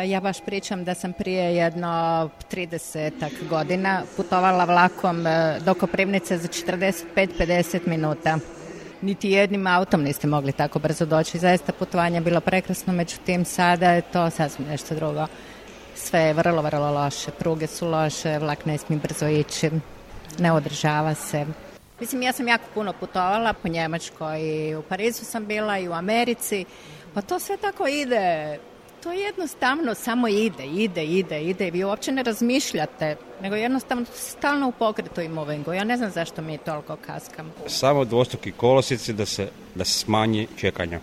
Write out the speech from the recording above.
Ja baš pričam da sam prije jedno 30 godina putovala vlakom do Koprivnice za 45-50 minuta. Niti jednim autom niste mogli tako brzo doći. Zaista putovanje je bilo prekrasno, međutim sada je to sasvim nešto drugo. Sve je vrlo, vrlo loše. Pruge su loše, vlak ne smije brzo ići, ne održava se. Mislim, ja sam jako puno putovala po Njemačkoj i u Parizu sam bila i u Americi. Pa to sve tako ide. To jednostavno samo ide. Vi uopće ne razmišljate, nego jednostavno stalno u pokretu i movingu. Ja ne znam zašto mi toliko kaskamo. Samo dvostruki kolosijeci da se smanji čekanja.